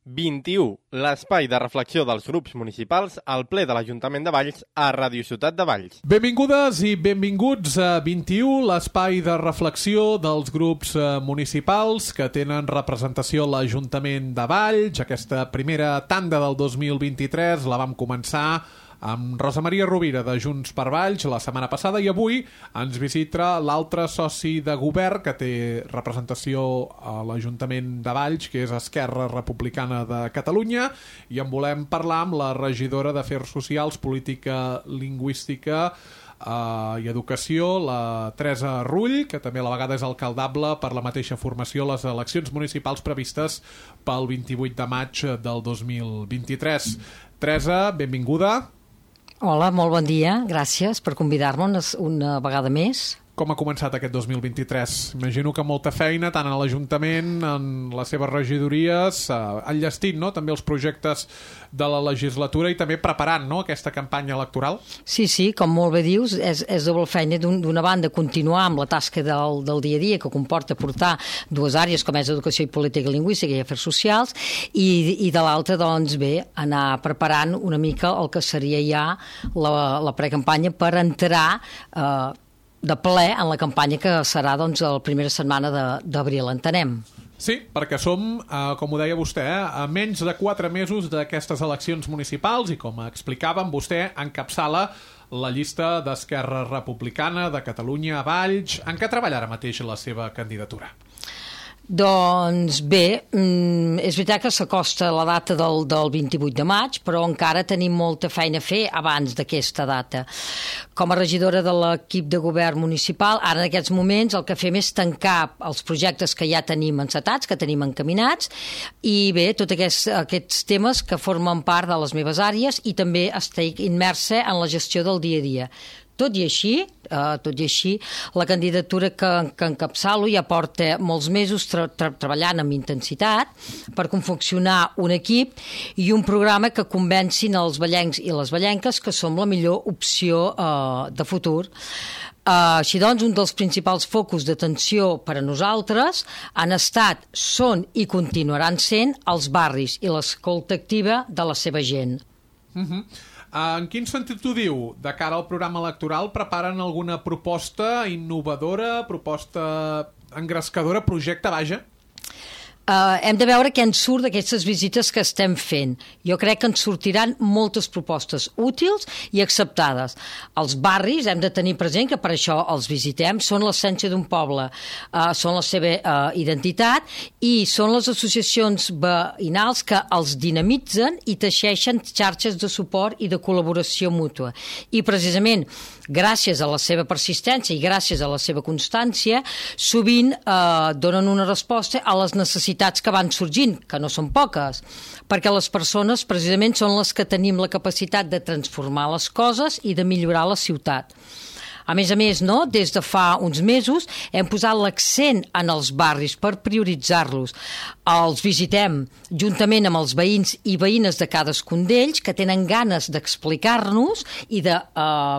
21, l'espai de reflexió dels grups municipals al ple de l'Ajuntament de Valls a Ràdio Ciutat de Valls. Benvingudes i benvinguts a 21, l'espai de reflexió dels grups municipals que tenen representació a l'Ajuntament de Valls. Aquesta primera tanda del 2023 la vam començar amb Rosa Maria Rovira de Junts per Valls la setmana passada i avui ens visita l'altre soci de govern que té representació a l'Ajuntament de Valls, que és Esquerra Republicana de Catalunya, i en volem parlar amb la regidora d'Afers Socials, Política Lingüística i Educació, la Teresa Rull, que també a la vegada és alcaldable per la mateixa formació a les eleccions municipals previstes pel 28 de maig del 2023. Teresa, benvinguda. Hola, molt bon dia. Gràcies per convidar-nos una vegada més. Com ha començat aquest 2023? Imagino que molta feina, tant a l'Ajuntament, en les seves regidories, enllestint, no?, també els projectes de la legislatura i també preparant, no?, aquesta campanya electoral. Sí, com molt bé dius, és doble feina. D'una banda, continuar amb la tasca del dia a dia, que comporta portar dues àrees, com és educació i política lingüística i afers socials, i de l'altra, doncs bé, anar preparant una mica el que seria ja la precampanya per entrar de ple en la campanya que serà doncs la primera setmana d'abril, entenem. Sí, perquè som, com ho deia vostè, a menys de 4 mesos d'aquestes eleccions municipals i, com explicàvem, vostè encapçala la llista d'Esquerra Republicana de Catalunya a Valls. En què treballa ara mateix la seva candidatura? Doncs bé, és veritat que s'acosta la data del 28 de maig, però encara tenim molta feina a fer abans d'aquesta data. Com a regidora de l'equip de govern municipal, ara en aquests moments el que fem és tancar els projectes que ja tenim encetats, que tenim encaminats, i bé, tots aquests temes que formen part de les meves àrees i també estic immersa en la gestió del dia a dia. Tot i així, la candidatura que encapçalo ja porta molts mesos treballant amb intensitat per confeccionar un equip i un programa que convencin els vallencs i les vallenques que som la millor opció de futur. Així doncs, un dels principals focus d'atenció per a nosaltres han estat, són i continuaran sent els barris i l'escolta activa de la seva gent. En quin sentit ho diu? De cara al programa electoral, preparen alguna proposta innovadora, proposta engrescadora, projecte, vaja? Hem de veure què ens surt d'aquestes visites que estem fent. Jo crec que ens sortiran moltes propostes útils i acceptades. Els barris hem de tenir present que per això els visitem, són l'essència d'un poble, són la seva identitat i són les associacions veïnals que els dinamitzen i teixeixen xarxes de suport i de col·laboració mútua. I precisament gràcies a la seva persistència i gràcies a la seva constància, sovint donen una resposta a les necessitats que van sorgint, que no són poques, perquè les persones precisament són les que tenim la capacitat de transformar les coses i de millorar la ciutat. A més, no? Des de fa uns mesos hem posat l'accent en els barris per prioritzar-los. Els visitem juntament amb els veïns i veïnes de cadascun d'ells que tenen ganes d'explicar-nos i de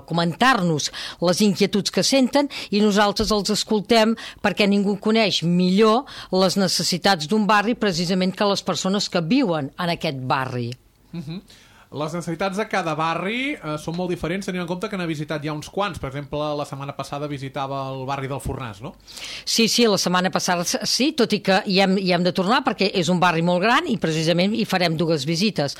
comentar-nos les inquietuds que senten i nosaltres els escoltem perquè ningú coneix millor les necessitats d'un barri precisament que les persones que viuen en aquest barri. Les necessitats de cada barri són molt diferents, tenint en compte que n'ha visitat ja uns quants. Per exemple, la setmana passada visitava el barri del Fornàs, no? Sí, la setmana passada sí, tot i que hi hem de tornar perquè és un barri molt gran i precisament hi farem 2 visites.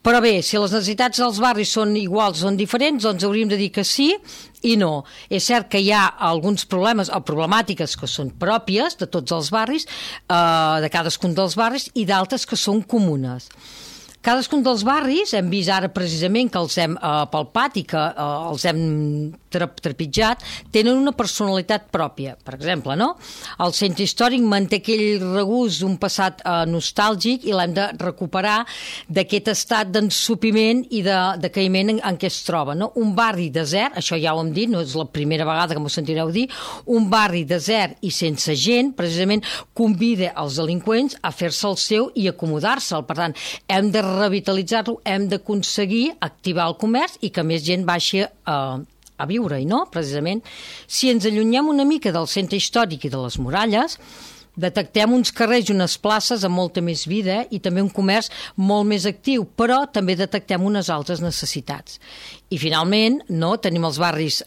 Però bé, si les necessitats dels barris són iguals o són diferents, doncs hauríem de dir que sí i no. És cert que hi ha alguns problemes o problemàtiques que són pròpies de tots els barris, de cadascun dels barris, i d'altres que són comunes. Cadascun dels barris, hem vist ara precisament que els hem palpat i que els hem trepitjat, tenen una personalitat pròpia. Per exemple, no? El centre històric manté aquell regust d'un passat nostàlgic i l'hem de recuperar d'aquest estat d'ensopiment i de decaïment en què es troba. No? Un barri desert, això ja ho hem dit, no és la primera vegada que m'ho sentireu dir, un barri desert i sense gent, precisament convida els delinqüents a fer-se el seu i acomodar-se'l. Per tant, hem de revitalitzar-lo, hem d'aconseguir activar el comerç i que més gent baixi a viure-hi, no? Precisament, si ens allunyem una mica del centre històric i de les muralles, Detectem uns carrers i unes places amb molta més vida i també un comerç molt més actiu, però també detectem unes altres necessitats. I finalment, tenim els barris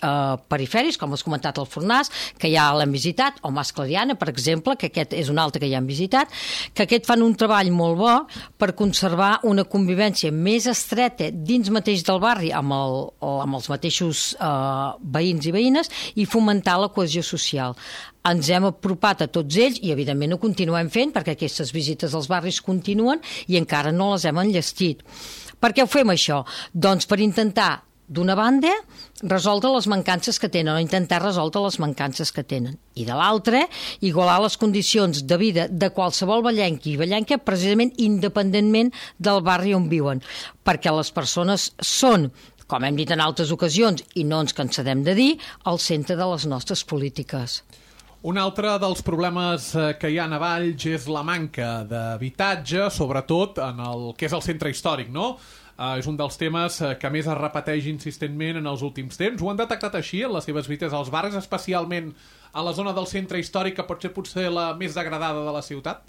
perifèrics, com has comentat el Fornàs, que ja l'hem visitat, o Mas Clariana, per exemple, que aquest és un altre que ja hem visitat, que aquest fan un treball molt bo per conservar una convivència més estreta dins mateix del barri amb els mateixos veïns i veïnes i fomentar la cohesió social. Ens hem apropat a tots ells i, evidentment, ho continuem fent perquè aquestes visites als barris continuen i encara no les hem enllestit. Per què ho fem, això? Doncs per intentar, d'una banda, resoldre les mancances que tenen o intentar resoldre les mancances que tenen. I de l'altra, igualar les condicions de vida de qualsevol vallenc i vallenca precisament independentment del barri on viuen. Perquè les persones són, com hem dit en altres ocasions i no ens cansarem de dir, al centre de les nostres polítiques. Un altre dels problemes que hi ha a Valls és la manca d'habitatge, sobretot en el que és el centre històric, no? És un dels temes que més es repeteix insistentment en els últims temps. Ho han detectat així en les seves visites als barris, especialment a la zona del centre històric, que pot ser potser la més degradada de la ciutat?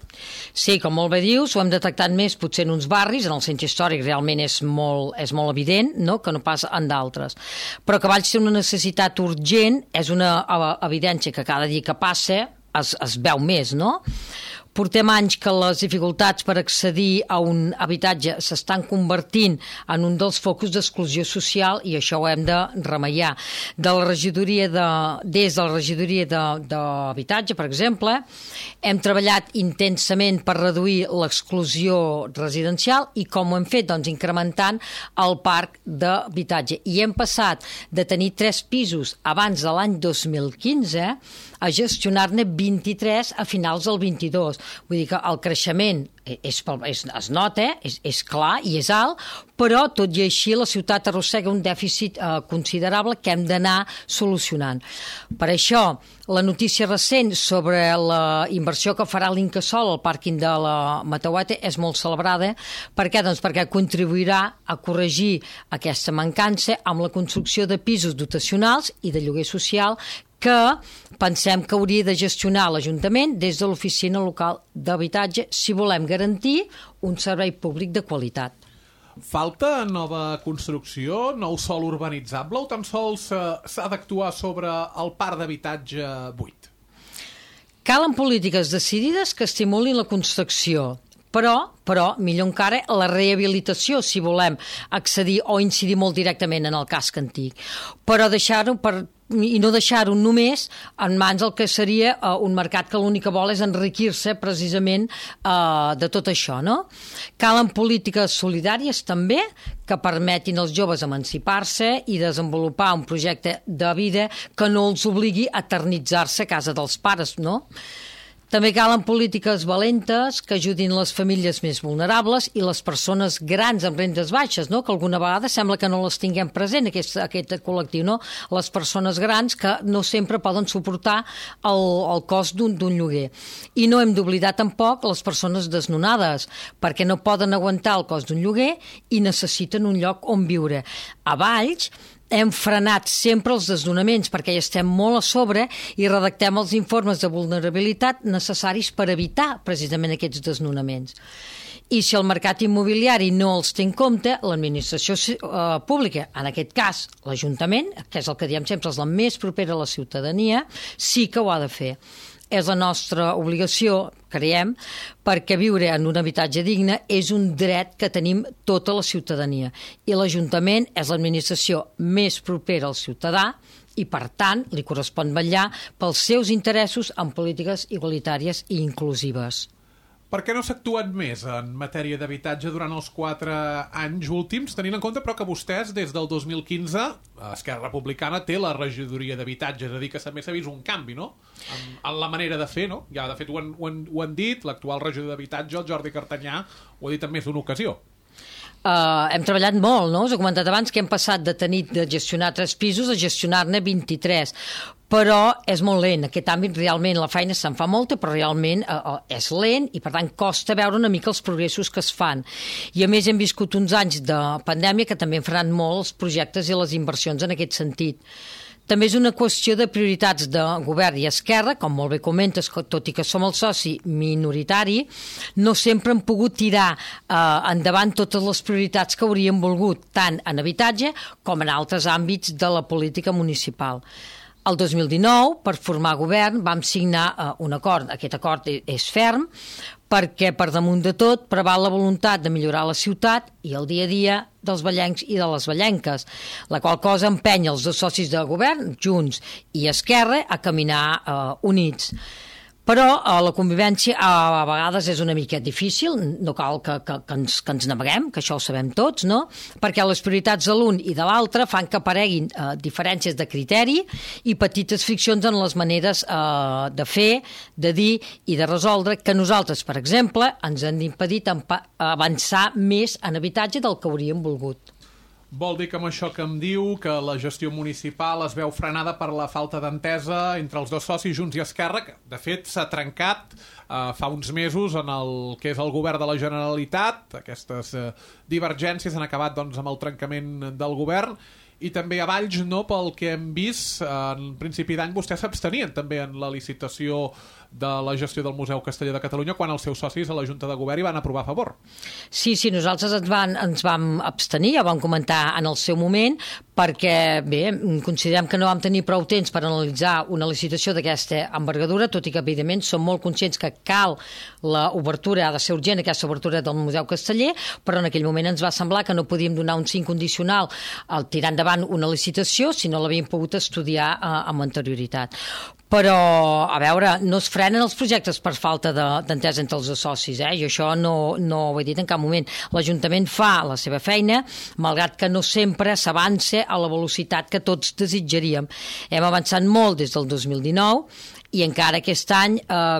Sí, com molt bé dius, ho hem detectat més potser en uns barris, en el centre històric realment és molt evident, no?, que no pas en d'altres. Però que Valls té una necessitat urgent, és una evidència que cada dia que passa es veu més, no? Portem anys que les dificultats per accedir a un habitatge s'estan convertint en un dels focus d'exclusió social i això ho hem de remeiar. Des de la regidoria d'habitatge, per exemple, hem treballat intensament per reduir l'exclusió residencial i com ho hem fet? Doncs incrementant el parc d'habitatge. I hem passat de tenir 3 pisos abans de l'any 2015 a gestionar-ne 23 a finals del 22. Vull dir que el creixement es nota, és clar i és alt, però tot i així la ciutat arrossega un dèficit considerable que hem d'anar solucionant. Per això, la notícia recent sobre la inversió que farà l'Incasòl al pàrquing de la Mataueta és molt celebrada. Per què? Doncs perquè contribuirà a corregir aquesta mancança amb la construcció de pisos dotacionals i de lloguer social que pensem que hauria de gestionar l'Ajuntament des de l'Oficina Local d'Habitatge si volem garantir un servei públic de qualitat. Falta nova construcció, nou sòl urbanitzable o tan sols s'ha d'actuar sobre el parc d'habitatge buit? Calen polítiques decidides que estimulin la construcció, però millor encara la rehabilitació si volem accedir o incidir molt directament en el casc antic. Però no deixar-ho només en mans del que seria un mercat que l'únic que vol és enriquir-se precisament de tot això, no? Calen polítiques solidàries també que permetin als joves emancipar-se i desenvolupar un projecte de vida que no els obligui a eternitzar-se a casa dels pares, no? També calen polítiques valentes que ajudin les famílies més vulnerables i les persones grans amb rendes baixes, no? Que alguna vegada sembla que no les tinguem present, aquest col·lectiu, no? Les persones grans que no sempre poden suportar el cost d'un lloguer. I no hem d'oblidar tampoc les persones desnonades, perquè no poden aguantar el cost d'un lloguer i necessiten un lloc on viure. A Valls hem frenat sempre els desnonaments perquè hi estem molt a sobre i redactem els informes de vulnerabilitat necessaris per evitar precisament aquests desnonaments. I si el mercat immobiliari no els té en compte, l'administració pública, en aquest cas l'Ajuntament, que és el que diem sempre, és la més propera a la ciutadania, sí que ho ha de fer. És la nostra obligació, creiem, perquè viure en un habitatge digne és un dret que tenim tota la ciutadania. I l'Ajuntament és l'administració més propera al ciutadà i, per tant, li correspon vetllar pels seus interessos en polítiques igualitàries i inclusives. Per què no s'ha actuat més en matèria d'habitatge durant els 4 anys últims, tenint en compte però que vostès, des del 2015, Esquerra Republicana té la regidoria d'habitatge, és a dir, que també s'ha vist un canvi, no?, en la manera de fer, no? Ja, de fet, ho han dit, l'actual regidor d'habitatge, el Jordi Cartanyà, ho ha dit en més d'una ocasió. Hem treballat molt, no? Us he comentat abans que hem passat de gestionar 3 pisos a gestionar-ne 23, però és molt lent. Aquest àmbit realment la feina se'n fa molta, però realment és lent i per tant costa veure una mica els progressos que es fan. I a més hem viscut uns anys de pandèmia que també han frenat molt els projectes i les inversions en aquest sentit. També és una qüestió de prioritats de govern i esquerra, com molt bé comentes, tot i que som el soci minoritari, no sempre hem pogut tirar endavant totes les prioritats que hauríem volgut, tant en habitatge com en altres àmbits de la política municipal. El 2019, per formar govern, vam signar un acord. Aquest acord és ferm perquè, per damunt de tot, preval la voluntat de millorar la ciutat i el dia a dia dels vallencs i de les vallenques, la qual cosa empenya els dos socis de govern, Junts i Esquerra, a caminar units. Però la convivència a vegades és una mica difícil, no cal que ens naveguem, que això ho sabem tots, no? Perquè les prioritats de l'un i de l'altre fan que apareguin diferències de criteri i petites friccions en les maneres de fer, de dir i de resoldre, que nosaltres, per exemple, ens han impedit avançar més en habitatge del que hauríem volgut. Vol dir que amb això que em diu que la gestió municipal es veu frenada per la falta d'entesa entre els dos socis, Junts i Esquerra, que de fet s'ha trencat fa uns mesos en el que és el govern de la Generalitat. Aquestes divergències han acabat doncs, amb el trencament del govern. I també a Valls, no, pel que hem vist, en principi d'any vostès s'abstenien també en la licitació de la gestió del Museu Casteller de Catalunya quan els seus socis a la Junta de Govern hi van aprovar a favor. Sí, nosaltres ens vam abstenir, ja vam comentar en el seu moment, perquè, bé, considerem que no vam tenir prou temps per analitzar una licitació d'aquesta envergadura, tot i que, evidentment, som molt conscients que cal l'obertura, ha de ser urgent aquesta obertura del Museu Casteller, però en aquell moment ens va semblar que no podíem donar un sí condicional al tirar endavant una licitació si no l'havíem pogut estudiar amb anterioritat. Però, a veure, no es frenen els projectes per falta d'entesa entre els dos socis, i això no ho he dit en cap moment. L'Ajuntament fa la seva feina, malgrat que no sempre s'avança a la velocitat que tots desitjaríem. Hem avançat molt des del 2019 i encara aquest any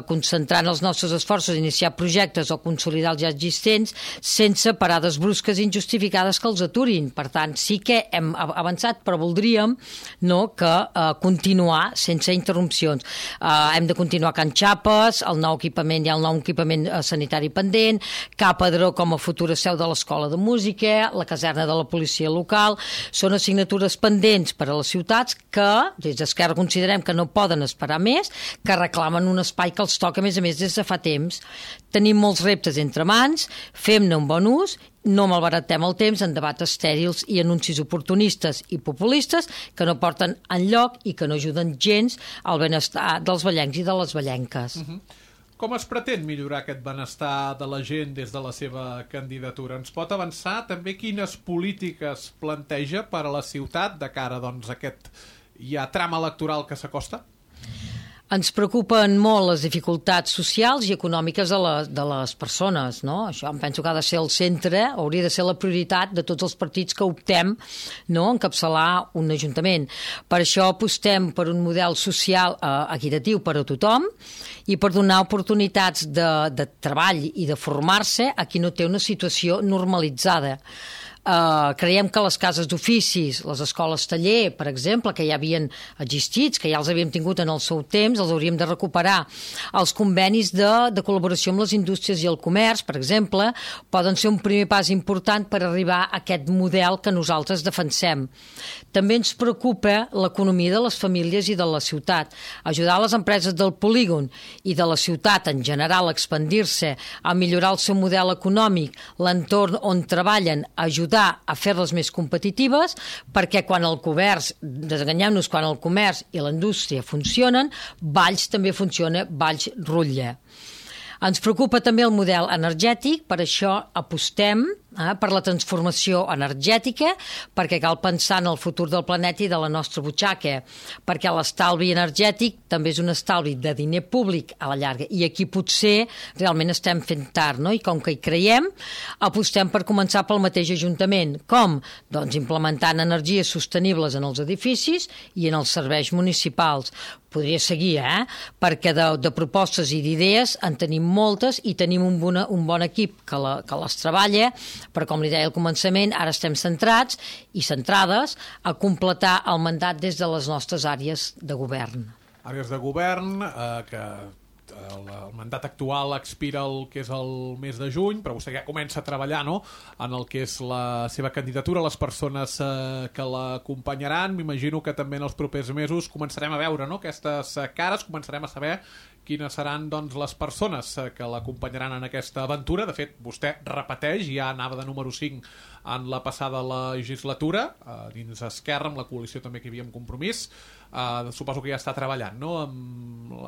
concentrant els nostres esforços a iniciar projectes o consolidar els ja existents sense parades brusques i injustificades que els aturin. Per tant, sí que hem avançat, però voldríem que continuar sense interrupcions. Hem de continuar Can Xapes, el nou equipament, hi ha el nou equipament sanitari pendent, Ca Padró com a futura seu de l'Escola de Música, la caserna de la policia local. Són assignatures pendents per a les ciutats que des d'Esquerra considerem que no poden esperar més, que reclamen un espai que els toca, a més des de fa temps. Tenim molts reptes entre mans, fem-ne un bon ús, no malbaratem el temps en debats estèrils i anuncis oportunistes i populistes que no porten enlloc i que no ajuden gens al benestar dels vallencs i de les vallenques. Com es pretén millorar aquest benestar de la gent des de la seva candidatura? Ens pot avançar també quines polítiques planteja per a la ciutat de cara a aquest tram electoral que s'acosta? Ens preocupen molt les dificultats socials i econòmiques de les persones, no? Això em penso que ha de ser el centre, hauria de ser la prioritat de tots els partits que optem a encapçalar un ajuntament. Per això apostem per un model social equitatiu per a tothom i per donar oportunitats de treball i de formar-se a qui no té una situació normalitzada. Creiem que les cases d'oficis, les escoles taller, per exemple, que ja havien existit, que ja els havíem tingut en el seu temps, els hauríem de recuperar. Els convenis de col·laboració amb les indústries i el comerç, per exemple, poden ser un primer pas important per arribar a aquest model que nosaltres defensem. També ens preocupa l'economia de les famílies i de la ciutat. Ajudar les empreses del polígon i de la ciutat en general a expandir-se, a millorar el seu model econòmic, l'entorn on treballen, ajudar a fer-les més competitives, perquè quan el comerç, desenganyem-nos, quan el comerç i la indústria funcionen, Valls també funciona, Valls rutlla. Ens preocupa també el model energètic, per això apostem per la transformació energètica, perquè cal pensar en el futur del planeta i de la nostra butxaca, perquè l'estalvi energètic també és un estalvi de diner públic a la llarga, i aquí potser realment estem fent tard, no? I com que hi creiem, apostem per començar pel mateix Ajuntament. Com? Doncs implementant energies sostenibles en els edificis i en els serveis municipals. Podria seguir, perquè de propostes i d'idees en tenim moltes i tenim un bon equip que les treballa, però com li deia al començament, ara estem centrats i centrades a completar el mandat des de les nostres àrees de govern. Àrees de govern que el mandat actual expira el que és el mes de juny, però vostè ja comença a treballar, no?, en el que és la seva candidatura, les persones que l'acompanyaran. M'imagino que també en els propers mesos començarem a veure, no?, aquestes cares, començarem a saber quines seran, doncs, les persones que l'acompanyaran en aquesta aventura. De fet, vostè repeteix, ja anava de número 5 en la passada legislatura, dins Esquerra, amb la coalició també que hi havia en Compromís. Suposo que ja està treballant, no?,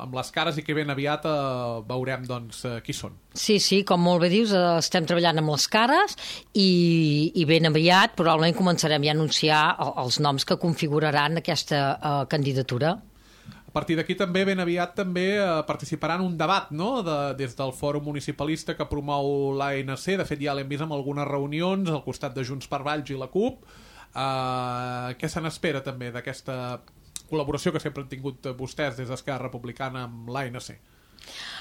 amb les cares, i que ben aviat veurem, doncs, qui són. Sí, com molt bé dius, estem treballant amb les cares i ben aviat probablement començarem ja a anunciar els noms que configuraran aquesta candidatura. A partir d'aquí també ben aviat també participarà en un debat, no?, des del Fòrum Municipalista que promou l'ANC. De fet, ja l'hem vist en algunes reunions al costat de Junts per Valls i la CUP. Què se n'espera també d'aquesta col·laboració que sempre han tingut vostès des d'Esquerra Republicana amb l'ANC?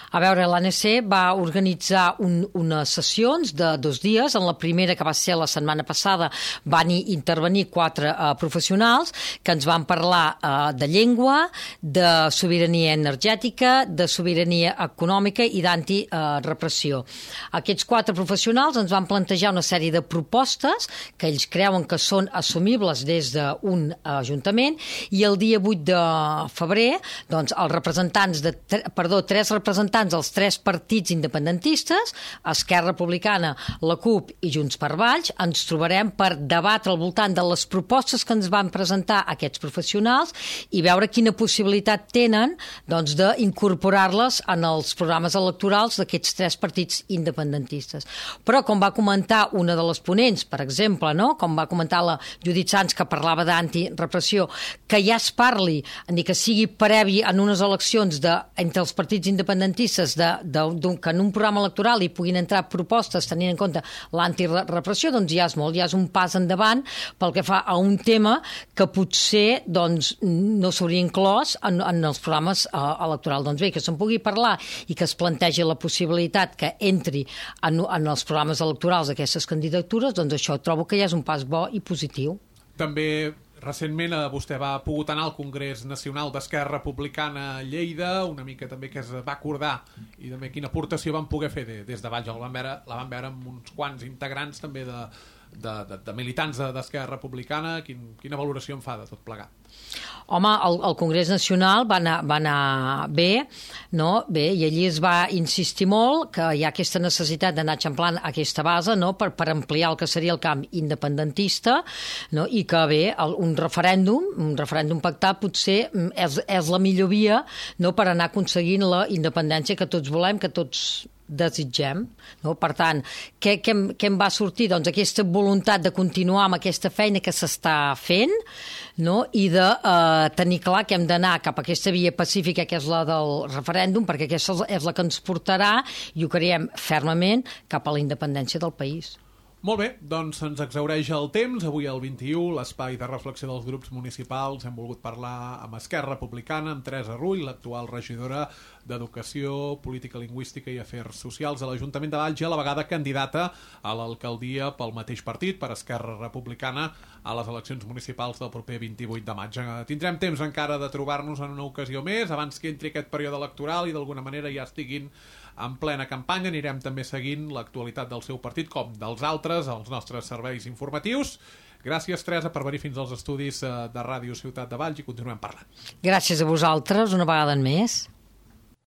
A veure, l'ANC va organitzar unes sessions de 2 dies. En la primera, que va ser la setmana passada, van intervenir 4 professionals que ens van parlar de llengua, de sobirania energètica, de sobirania econòmica i d'antirepressió. Aquests 4 professionals ens van plantejar una sèrie de propostes que ells creuen que són assumibles des d'un ajuntament, i el dia 8 de febrer, doncs, els representants tres representants dels 3 partits independentistes, Esquerra Republicana, la CUP i Junts per Valls, ens trobarem per debatre al voltant de les propostes que ens van presentar aquests professionals i veure quina possibilitat tenen, doncs, d'incorporar-les en els programes electorals d'aquests 3 partits independentistes. Però, com va comentar una de les ponents, per exemple, no?, com va comentar la Judit Sans, que parlava d'antirepressió, que ja es parli, ni que sigui previ en unes eleccions entre els partits independentistes, que en un programa electoral hi puguin entrar propostes tenint en compte l'antirepressió, doncs ja és molt, ja és un pas endavant pel que fa a un tema que potser, doncs, no s'hauria inclòs en els programes electorals. Doncs bé, que se'n pugui parlar i que es plantegi la possibilitat que entri en els programes electorals d'aquestes candidatures, doncs això trobo que ja és un pas bo i positiu. També recentment vostè va pogut anar al Congrés Nacional d'Esquerra Republicana a Lleida, una mica també que es va acordar i també quina aportació van poder fer des de Valls. La van veure amb uns quants integrants també de militants d'Esquerra Republicana. Quina valoració en fa de tot plegat? Home, el Congrés Nacional va anar bé, no? Bé, i allí es va insistir molt que hi ha aquesta necessitat d'anar eixamplant aquesta base, no?, per ampliar el que seria el camp independentista, no?, i que bé, un referèndum pactat potser és la millor via, no?, per anar aconseguint la independència que tots volem, que tots desitgem, no? Per tant, què en va sortir? Doncs aquesta voluntat de continuar amb aquesta feina que s'està fent, no?, i de tenir clar que hem d'anar cap a aquesta via pacífica que és la del referèndum, perquè aquesta és la que ens portarà, i ho creiem fermament, cap a la independència del país. Molt bé, doncs ens exhaureix el temps. Avui al 21, l'espai de reflexió dels grups municipals, hem volgut parlar amb Esquerra Republicana, amb Teresa Rull, l'actual regidora d'Educació, Política Lingüística i Afers Socials a l'Ajuntament de Valls, i a la vegada candidata a l'alcaldia pel mateix partit, per Esquerra Republicana, a les eleccions municipals del proper 28 de maig. Tindrem temps encara de trobar-nos en una ocasió més, abans que entri aquest període electoral i d'alguna manera ja estiguin en plena campanya. Anirem també seguint l'actualitat del seu partit, com dels altres, als nostres serveis informatius. Gràcies, Teresa, per venir fins als estudis de Ràdio Ciutat de Valls, i continuem parlant. Gràcies a vosaltres, una vegada més.